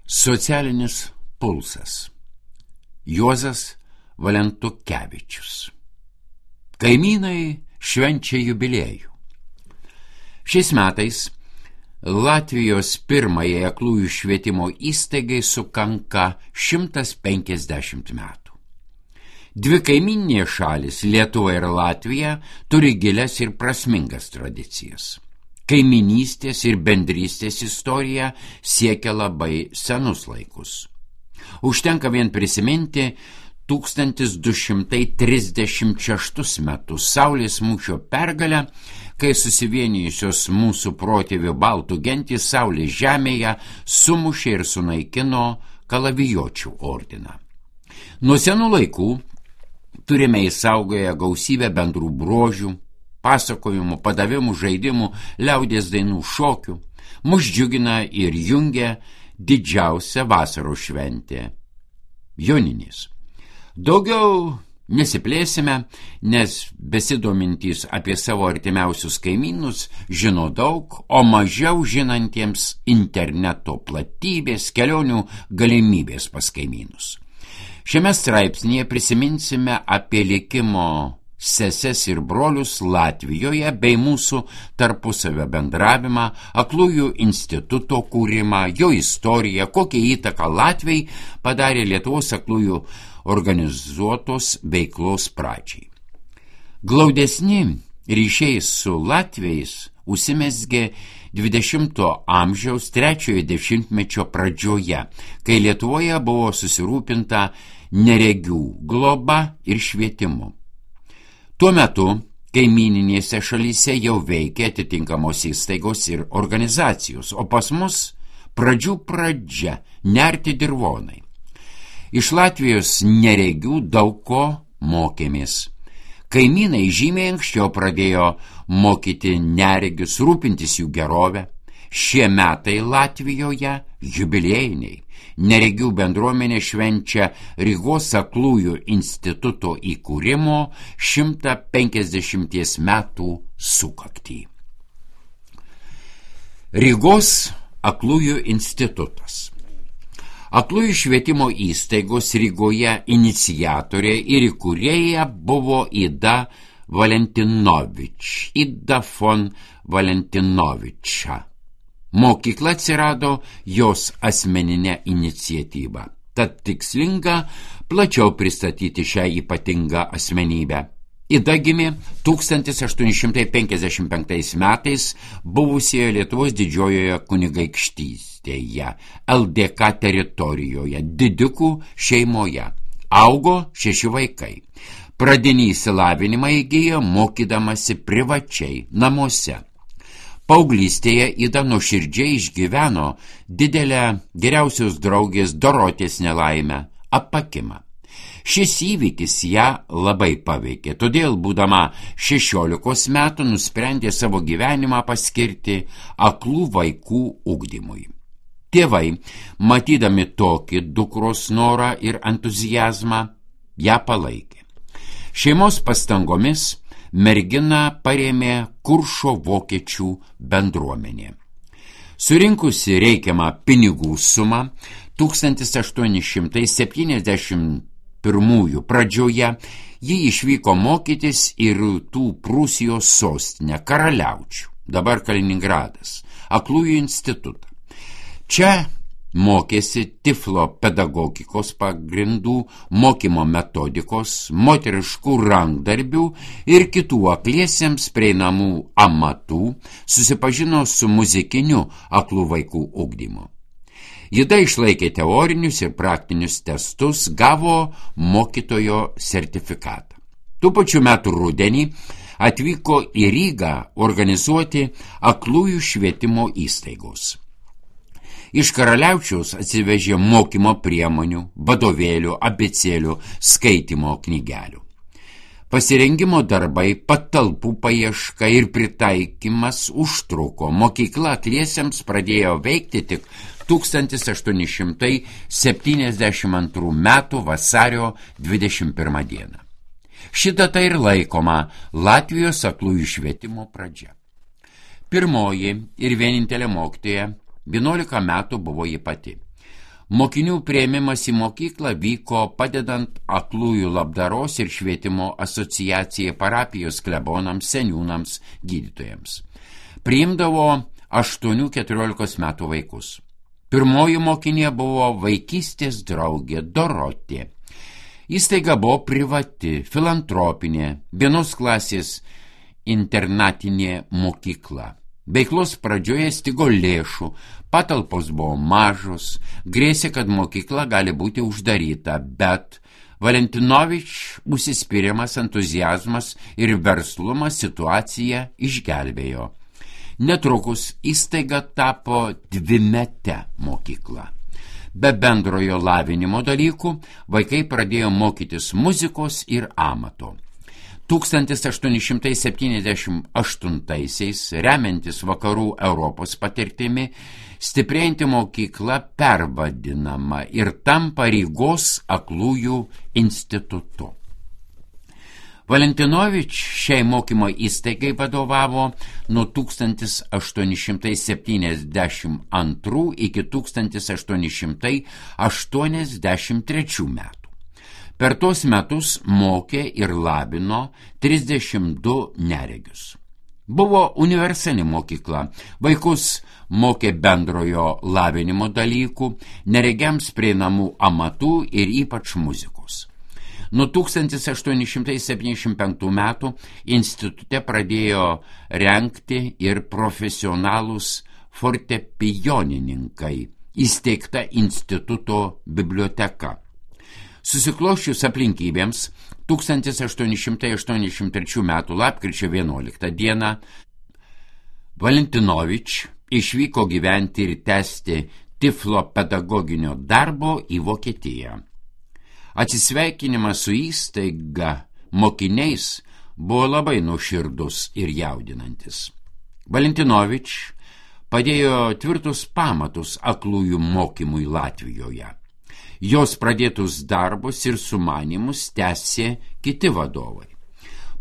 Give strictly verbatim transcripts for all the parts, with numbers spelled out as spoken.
Socialinis pulsas. Juozas Valentukevičius. Kaimynai švenčia jubiliejų. Šiais metais Latvijos pirmajai aklųjų švietimo įstaigai sukanka šimtas penkiasdešimt metų. Dvi kaimyninės šalis, Lietuva ir Latvija, turi gilias ir prasmingas tradicijas. Kaimynystės ir bendrystės istorija siekia labai senus laikus. Užtenka vien prisiminti tūkstantis du šimtai trisdešimt šeštus metus Saulės mūšio pergalę, kai susivienijusios mūsų protėvių baltų gentys Saulės žemėje sumušė ir sunaikino kalavijočių ordiną. Nuo senų laikų turime įsaugoję gausybę bendrų bruožių, pasakojimų, padavimų, žaidimų, liaudies dainų, šokių. Mus džiugina ir jungia didžiausia vasaros šventė – Joninės. Daugiau nesiplėsime, nes besidomintys apie savo artimiausius kaimynus žino daug, o mažiau žinantiems interneto platybės, kelionių galimybės pas kaimynus. Šiame straipsnyje prisiminsime apie likimo seses ir brolius Latvijoje bei mūsų tarpusavio bendravimą, aklųjų instituto kūrimą, jo istoriją, kokią įtaką Latvijai padarė Lietuvos aklųjų organizuotos veiklos pradžiai. Glaudesni ryšiai su latviais užsimezgė dvidešimto amžiaus trečiojo dešimtmečio pradžioje, kai Lietuvoje buvo susirūpinta neregių globa ir švietimu. Tuo metu kaimyninėse šalyse jau veikia atitinkamos įstaigos ir organizacijos, o pas mus pradžių pradžia nerti dirvonai. Iš Latvijos neregių daug ko mokėmės. Kaimynai žymiai anksčiau pradėjo mokyti neregius, rūpintis jų gerovę. Šie metai Latvijoje jubiliejiniai. Neregių bendruomenė švenčia Rygos aklųjų instituto įkūrimo šimtą penkiasdešimties metų sukaktį. Rygos aklųjų institutas. Aklųjų švietimo įstaigos Rygoje iniciatorė ir įkūrėja buvo Ida Valentinovič, Ida von Valentinoviča. Mokykla atsirado jos asmeninė iniciatyva. Tad tikslinga plačiau pristatyti šią ypatingą asmenybę. Ida gimė tūkstantis aštuoni šimtai penkiasdešimt penktais metais buvusioje Lietuvos didžiojoje kunigaikštystėje, L D K teritorijoje, didikų šeimoje. Augo šeši vaikai. Pradinį išsilavinimą įgijo mokydamasi privačiai namuose. Paauglystėje Ida nuoširdžiai išgyveno didelę geriausios draugės Dorotės nelaimę – apakimą. Šis įvykis ją labai paveikė, todėl būdama šešiolikos metų nusprendė savo gyvenimą paskirti aklų vaikų ugdymui. Tėvai, matydami tokį dukros norą ir entuzijazmą, ją palaikė. Šeimos pastangomis merginą parėmė Kuršo vokiečių bendruomenė. Surinkusi reikiamą pinigų sumą, tūkstantis aštuoni šimtai septyniasdešimt pirmųjų pradžioje ji išvyko mokytis į Rytų Prūsijos sostinę Karaliaučių, dabar Kaliningradas, aklųjų institutą. Čia mokėsi tiflo pedagogikos pagrindų, mokymo metodikos, moteriškų rankdarbių ir kitų akliesiems prieinamų amatų, susipažino su muzikiniu aklų vaikų ugdymu. Ida išlaikė teorinius ir praktinius testus, gavo mokytojo sertifikatą. Tų pačių metų rudenį atvyko į Rygą organizuoti aklųjų švietimo įstaigos. Iš Karaliaučiaus atsivežė mokymo priemonių, vadovėlių, abėcėlių, skaitymo knygelių. Pasirengimo darbai, patalpų paieška ir pritaikymas užtruko. Mokykla akliesiems pradėjo veikti tik tūkstantis aštuoni šimtai septyniasdešimt antrų metų vasario dvidešimt pirmą dieną. Ši data ir laikoma Latvijos aklųjų švietimo pradžia. Pirmoji ir vienintelė mokytoja vienuolika metų buvo ji pati. Mokinių priėmimas į mokyklą vyko padedant Aklųjų labdaros ir švietimo asociacijai parapijos klebonams, seniūnams, gydytojams. Priimdavo aštuonių keturiolikos metų vaikus. Pirmoji mokinė buvo vaikystės draugė Dorotė. Įstaiga buvo privati, filantropinė, vienos klasės internatinė mokykla. Veiklos pradžioje stigo lėšų, patalpos buvo mažos, grėsė, kad mokykla gali būti uždaryta, bet Valentinovič užsispyrimas, entuziazmas ir verslumas situaciją išgelbėjo. Netrukus įstaiga tapo dvimete mokykla. Be bendrojo lavinimo dalykų vaikai pradėjo mokytis muzikos ir amato. tūkstantis aštuoni šimtai septyniasdešimt aštuntaisiais, remiantis vakarų Europos patirtimi, stiprėjanti mokykla pervadinama ir tampa Rygos aklųjų institutu. Valentinovič šiai mokymo įstaigai vadovavo nuo tūkstantis aštuoni šimtai septyniasdešimt antrų iki tūkstantis aštuoni šimtai aštuoniasdešimt trečių metų. Per tos metus mokė ir labino trisdešimt du neregius. Buvo universali mokykla, vaikus mokė bendrojo lavinimo dalykų, neregiams prieinamų amatų ir ypač muzikos. Nuo tūkstantis aštuoni šimtai septyniasdešimt penktų metų institute pradėjo rengti ir profesionalūs fortepijonininkai, įsteigta instituto biblioteka. Susiklosčius aplinkybėms, tūkstantis aštuoni šimtai aštuoniasdešimt trečių metų lapkričio vienuoliktą dieną Valentinovič išvyko gyventi ir tęsti Tiflo pedagoginio darbo į Vokietiją. Atsisveikinimas su įstaiga mokiniais buvo labai nuoširdus ir jaudinantis. Valentinovič padėjo tvirtus pamatus aklųjų mokymui Latvijoje. Jos pradėtus darbus ir sumanymus tęsė kiti vadovai.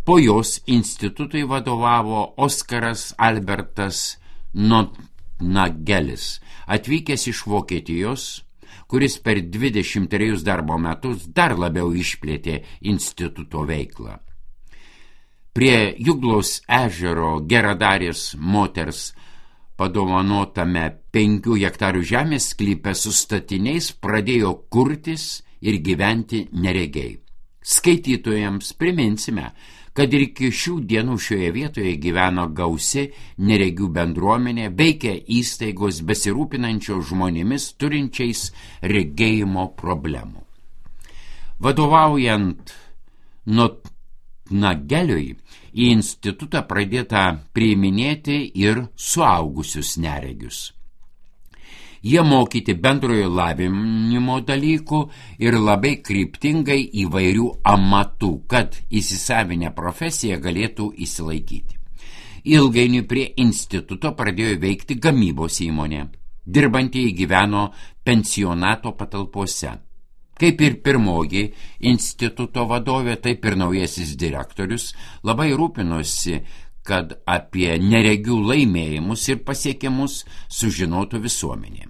Po jos institutui vadovavo Oskaras Albertas Notnagelis, atvykęs iš Vokietijos, kuris per dvidešimt trejus darbo metus dar labiau išplėtė instituto veiklą. Prie Juglaus ežero geradarės moters padovanotame penkių hektarų žemės sklype su statiniais pradėjo kurtis ir gyventi neregiai. Skaitytojams priminsime, kad ir iki šių dienų šioje vietoje gyveno gausi neregių bendruomenė, veikia įstaigos besirūpinančios žmonėmis turinčiais regėjimo problemų. Vadovaujant Notnageliui, į institutą pradėta priiminėti ir suaugusius neregius. Jie mokyti bendrojo lavinimo dalykų ir labai kryptingai įvairių amatų, kad įsisavinę profesiją galėtų įsilaikyti. Ilgainiui prie instituto pradėjo veikti gamybos įmonė. Dirbantieji gyveno pensionato patalpose. Kaip ir pirmoji instituto vadovė, taip ir naujasis direktorius labai rūpinosi, kad apie neregių laimėjimus ir pasiekimus sužinotų visuomenė.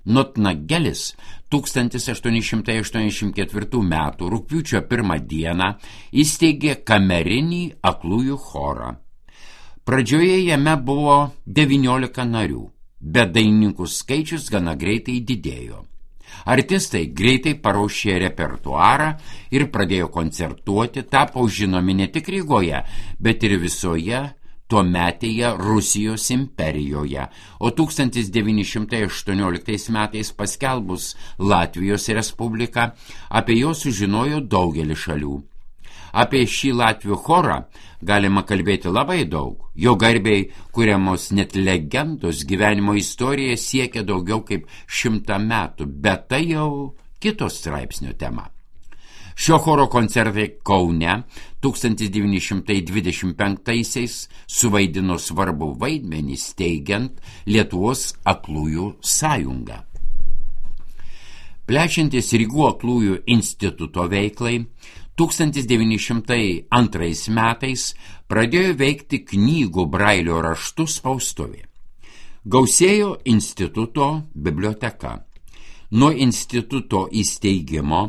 Notnagelis tūkstantis aštuoni šimtai aštuoniasdešimt ketvirtų metų rugpjūčio pirmą dieną įsteigė kamerinį aklųjų chorą. Pradžioje jame buvo devyniolika narių, bet dainininkų skaičius gana greitai didėjo. Artistai greitai paruošė repertuarą ir pradėjo koncertuoti, tapo žinomi ne tik Rygoje, bet ir visoje tuometėje Rusijos imperijoje, o tūkstantis devyni šimtai aštuonioliktais metais paskelbus Latvijos Respubliką, apie jo sužinojo daugelis šalių. Apie šį latvių chorą galima kalbėti labai daug. Jo garbei kuriamos net legendos, gyvenimo istorija siekia daugiau kaip šimtą metų, bet tai jau kitos straipsnio tema. Šio choro koncertai Kaune tūkstantis devyni šimtai dvidešimt penktaisiais suvaidino svarbų vaidmenį steigiant Lietuvos aklųjų sąjungą. Plečiantis Rygų aklųjų instituto veiklai, tūkstantis devyni šimtai antrais metais pradėjo veikti knygų brailio raštų spaustuvė. Gausėjo instituto biblioteka. Nuo instituto įsteigimo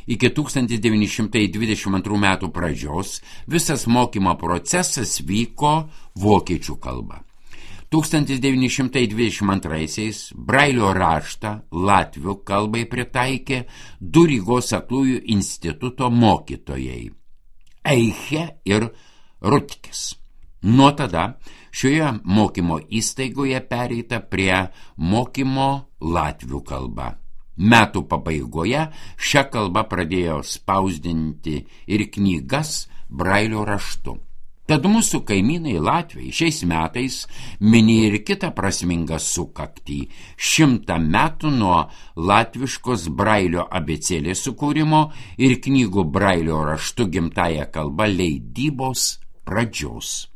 iki tūkstantis devyni šimtai dvidešimt antrų metų pradžios visas mokymo procesas vyko vokiečių kalba. tūkstantis devyni šimtai dvidešimt antraisiais Brailio raštą latvių kalbai pritaikė du Rygos aklųjų instituto mokytojai – Eiche ir Rutkis. Nuo tada šioje mokymo įstaigoje pereita prie mokymo latvių kalba. Metų pabaigoje šią kalbą pradėjo spausdinti ir knygas Brailio raštu. Tad mūsų kaimynai Latviai šiais metais minėjo ir kitą prasmingą sukaktį – šimtą metų nuo latviškos Brailio abėcėlės sukūrimo ir knygų Brailio raštu gimtąja kalba leidybos pradžios.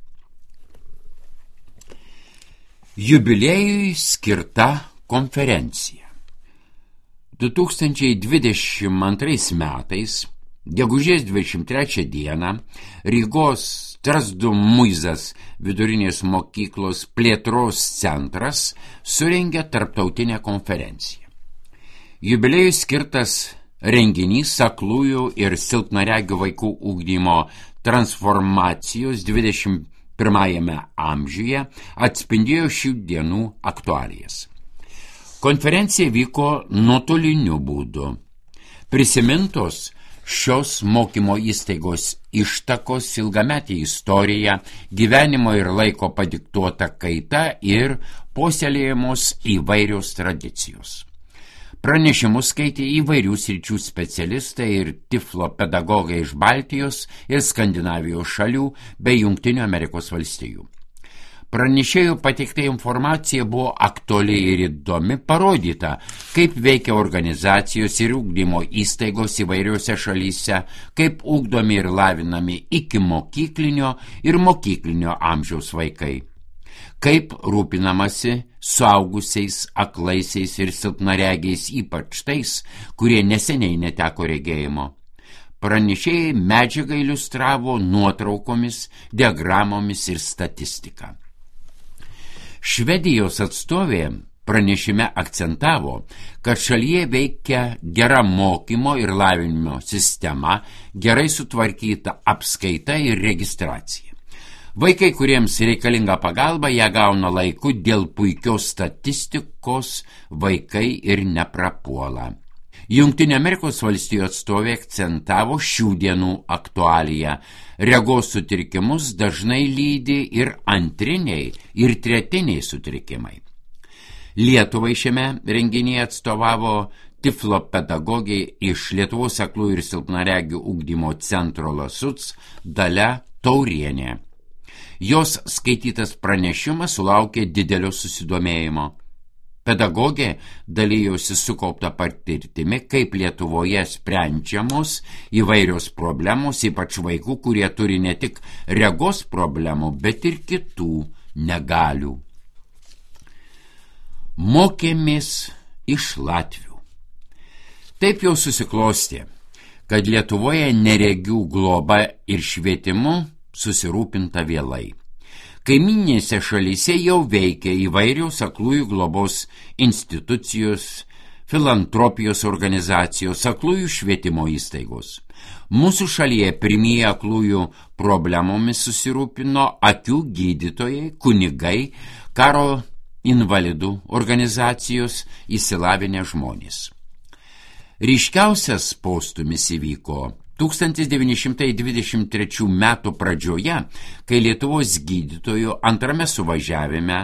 Jubiliejui skirta konferencija. du tūkstančiai dvidešimt antrais metais, gegužės dvidešimt trečią dieną, Rygos Strazdų Muizas vidurinės mokyklos plėtros centras surengė tarptautinę konferenciją. Jubiliejui skirtas renginys aklųjų ir silpnaregių vaikų ugdymo transformacijos dvidešimt pirmajame amžiuje atspindėjo šių dienų aktualijas. Konferencija vyko nuotoliniu būdu. Prisimintos šios mokymo įstaigos ištakos, ilgametė istorija, gyvenimo ir laiko padiktuota kaita ir puoselėjamos įvairios tradicijos. Pranešimus skaitė įvairių sričių specialistai ir tiflo pedagogai iš Baltijos ir Skandinavijos šalių bei Jungtinių Amerikos valstijų. Pranešėjų pateikta informacija buvo aktuali ir įdomi, parodyta, kaip veikia organizacijos ir ugdymo įstaigos įvairiose šalyse, kaip ugdomi ir lavinami iki mokyklinio ir mokyklinio amžiaus vaikai, kaip rūpinamasi suaugusiais, aklaisiais ir silpnaregiais, ypač tais, kurie neseniai neteko regėjimo. Pranešėjai medžiagą iliustravo nuotraukomis, diagramomis ir statistika. Švedijos atstovė pranešime akcentavo, kad šalyje veikia gera mokymo ir lavinimo sistema, gerai sutvarkyta apskaita ir registracija. Vaikai, kuriems reikalinga pagalba, ją gauna laiku, dėl puikios statistikos vaikai ir neprapuola. Jungtinių Amerikos valstijų atstovė akcentavo šių dienų aktualiją. Regos sutrikimus dažnai lydi ir antriniai, ir tretiniai sutrikimai. Lietuvai šiame renginyje atstovavo tiflo pedagogė iš Lietuvos aklųjų ir silpnaregių ugdymo centro Lasuc Dalia Taurienė. Jos skaitytas pranešimas sulaukė didelio susidomėjimo. Pedagogė dalyjosi sukaupta patirtimi, kaip Lietuvoje sprendžiamos įvairios problemos, ypač vaikų, kurie turi ne tik regos problemų, bet ir kitų negalių. Mokėmės iš latvių. Taip jau susiklostė, kad Lietuvoje neregių globa ir švietimu susirūpinta vėlai. Kaiminėse šalyse jau veikia įvairios aklųjų globos institucijos, filantropijos organizacijos, aklųjų švietimo įstaigos. Mūsų šalyje pirmieji aklųjų problemomis susirūpino akių gydytojai, kunigai, karo invalidų organizacijos, išsilavinę žmonės. Ryškiausias postūmis įvyko tūkstantis devyni šimtai dvidešimt trečių metų pradžioje, kai Lietuvos gydytojų antrame suvažiavime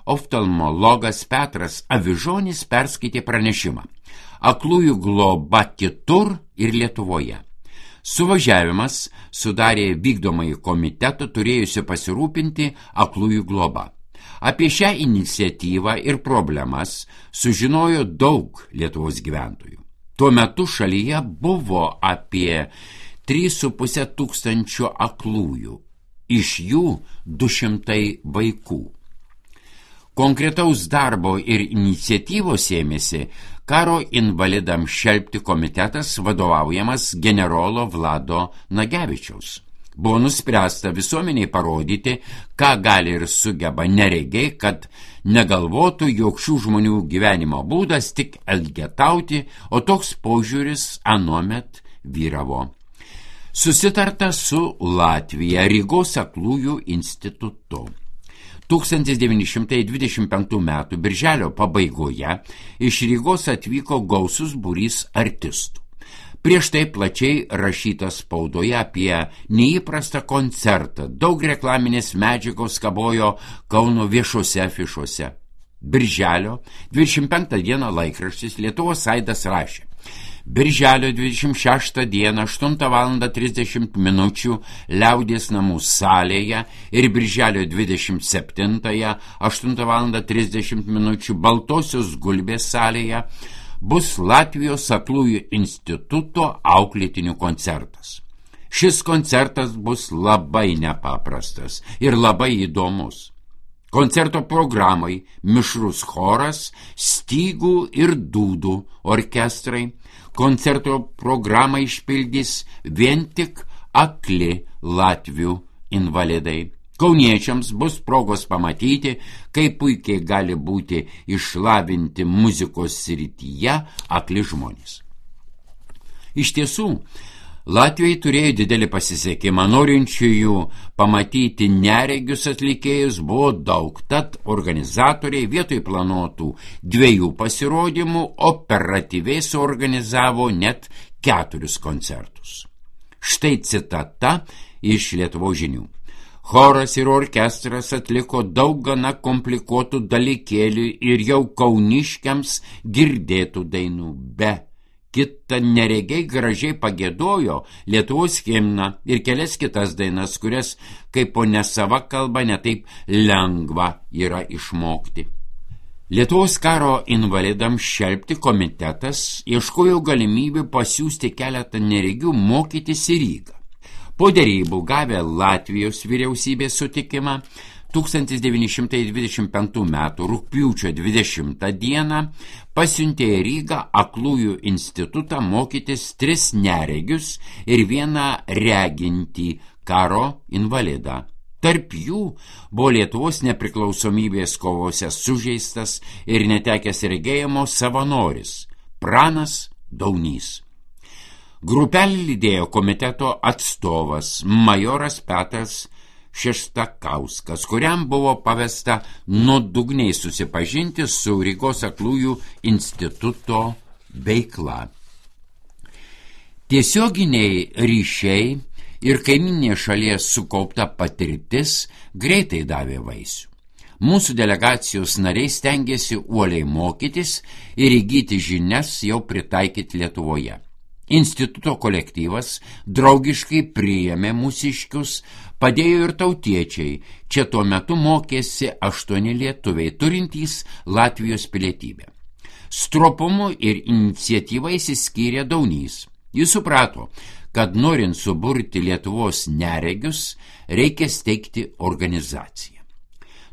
oftalmologas Petras Avižonis perskaitė pranešimą Aklųjų globa kitur ir Lietuvoje. Suvažiavimas sudarė vykdomąjį komitetą turėjusi pasirūpinti aklųjų globa. Apie šią iniciatyvą ir problemas sužinojo daug Lietuvos gyventojų. Tuo metu šalyje buvo apie trys su puse tūkstančio aklųjų, iš jų du šimtai vaikų. Konkretaus darbo ir iniciatyvos ėmėsi karo invalidams šelpti komitetas vadovaujamas generolo Vlado Nagevičiaus. buvo nuspręsta visuomeniai parodyti, ką gali ir sugeba neregiai, kad negalvotų, jog šių žmonių gyvenimo būdas tik elgetauti, o toks požiūris anuomet vyravo. Susitarta su Latvija Rygos aklųjų institutu. tūkstantis devyni šimtai dvidešimt penktų metų birželio pabaigoje iš Rygos atvyko gausus būrys artistų. Prieš tai plačiai rašyta spaudoje apie neįprastą koncertą, daug reklaminės medžiagos kabojo Kauno viešose afišuose. Birželio dvidešimt penktą dieną laikraštis Lietuvos aidas rašė: Birželio dvidešimt šeštą dieną aštuntą valandą trisdešimt minučių Liaudies namų salėje ir birželio dvidešimt septintąją aštuntą valandą trisdešimt minučių Baltosios gulbės salėje bus Latvijos aklųjų instituto auklėtinių koncertas. Šis koncertas bus labai nepaprastas ir labai įdomus. Koncerto programai mišrus choras, stygų ir dūdų orkestrai. Koncerto programą išpildys vien tik akli latvių invalidai. Kauniečiams bus progos pamatyti, kaip puikiai gali būti išlavinti muzikos srityje akli žmonės. Iš tiesų, Latvijai turėjo didelį pasisekimą, norinčiųjų pamatyti neregius atlikėjus buvo daug, tad organizatoriai vietoj planuotų dviejų pasirodymų operatyviai suorganizavo net keturis koncertus. Štai citata iš Lietuvos žinių. Choras ir orkestras atliko daug gana komplikuotų dalykėlių ir jau kauniškiams girdėtų dainų, be kita neregiai gražiai pagiedojo Lietuvos himną ir kelias kitas dainas, kurias kaip po nesava kalba netaip lengva yra išmokti. Lietuvos karo invalidams šelpti komitetas ieškojo galimybių pasiųsti keletą neregių mokytis į Rygą. Po derybų gavę Latvijos vyriausybės sutikimą, tūkstantis devyni šimtai dvidešimt penktų metų rugpjūčio dvidešimtą dieną pasiuntė į Rygą aklųjų institutą mokytis tris neregius ir vieną regintį karo invalidą. Tarp jų buvo Lietuvos nepriklausomybės kovose sužeistas ir netekęs regėjimo savanoris Pranas Daunys. Grupelį lydėjo komiteto atstovas majoras Petras Šeštakauskas, kuriam buvo pavesta nuodugniai susipažinti su Rygos aklųjų instituto veikla. Tiesioginiai ryšiai ir kaiminės šalies sukaupta patirtis greitai davė vaisių. Mūsų delegacijos nariai stengiasi uoliai mokytis ir įgyti žinias jau pritaikyti Lietuvoje. Instituto kolektyvas draugiškai priėmė mūsiškius, padėjo ir tautiečiai. Čia tuo metu mokėsi aštuoni lietuviai, turintys Latvijos pilietybę. Stropumu ir iniciatyvai išsiskyrė Daunys. Jis suprato, kad norint suburti Lietuvos neregius, reikia steigti organizaciją.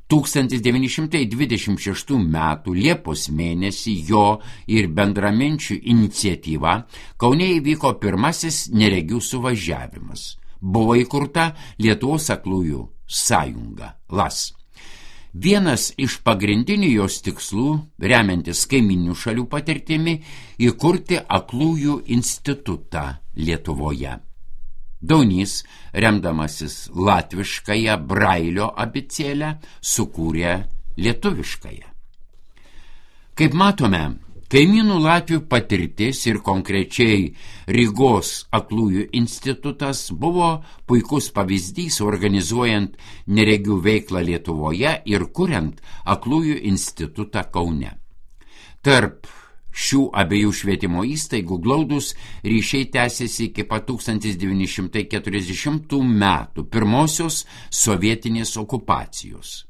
tūkstantis devyni šimtai dvidešimt šeštų metų Liepos mėnesį jo ir bendraminčių iniciatyva Kaune įvyko pirmasis neregių suvažiavimas. Buvo įkurta Lietuvos aklųjų sąjunga L A S. Vienas iš pagrindinių jos tikslų, remiantis kaiminių šalių patirtimi, įkurti aklųjų institutą Lietuvoje. Daunys, remdamasis latviškąją Brailio abėcėlę, sukūrė lietuviškąją. Kaip matome, kaimynų Latvių patirtis ir konkrečiai Rygos aklųjų institutas buvo puikus pavyzdys organizuojant neregių veiklą Lietuvoje ir kuriant aklųjų institutą Kaune. Tarp šių abiejų švietimo įstaigų glaudūs ryšiai tęsėsi iki pat tūkstantis devyni šimtai keturiasdešimtų metų pirmosios sovietinės okupacijos.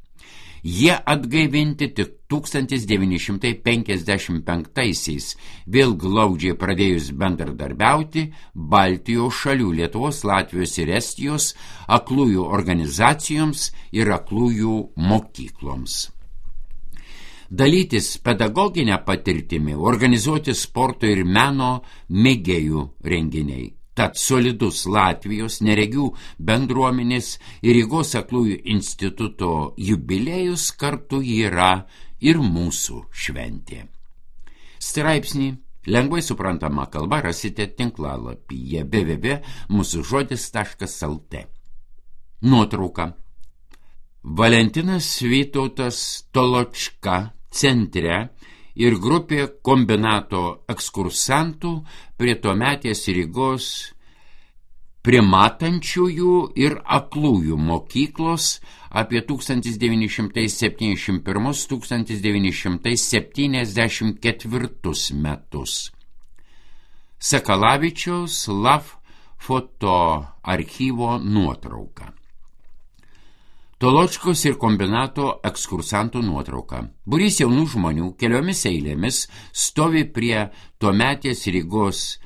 Jie atgaivinti tik tūkstantis devyni šimtai penkiasdešimt penktaisiais, vėl glaudžiai pradėjus bendradarbiauti Baltijos šalių Lietuvos, Latvijos ir Estijos aklųjų organizacijoms ir aklųjų mokykloms. Dalytis pedagoginę patirtimį, organizuoti sporto ir meno mėgėjų renginiai. Tad solidus Latvijos neregių bendruomenės ir Rygos aklųjų instituto jubiliejus kartu yra ir mūsų šventė. Straipsnį lengvai suprantama kalba rasite tinklalapyje w w w taškas mūsų žodis taškas l t. Nuotrauka. Valentinas Vytautas Toločka centre ir grupė kombinato ekskursantų prie tuometės Rygos primatančiųjų ir aklųjų mokyklos apie tūkstantis devyni šimtai septyniasdešimt pirmus - tūkstantis devyni šimtai septyniasdešimt ketvirtus metus. Sakalavičiaus Lav fotoarchyvo nuotrauka. Toločkos ir kombinato ekskursantų nuotrauka. Būrys jaunų žmonių keliomis eilėmis stovi prie tuometės Rygos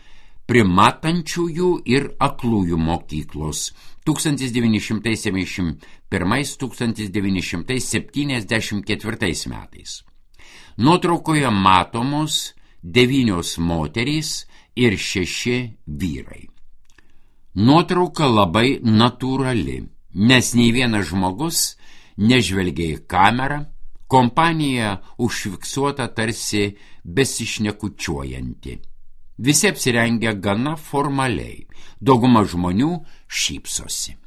primatančiųjų ir aklųjų mokyklos tūkstantis devyni šimtai septyniasdešimt pirmas - tūkstantis devyni šimtai septyniasdešimt ketvirtais metais. Nuotraukoje matomos devynios moterys ir šeši vyrai. Nuotrauka labai natūrali, nes nei vienas žmogus nežvelgia į kamerą, kompanija užfiksuota tarsi besišnekučiuojanti. Visi apsirengę gana formaliai, dauguma žmonių šypsosi.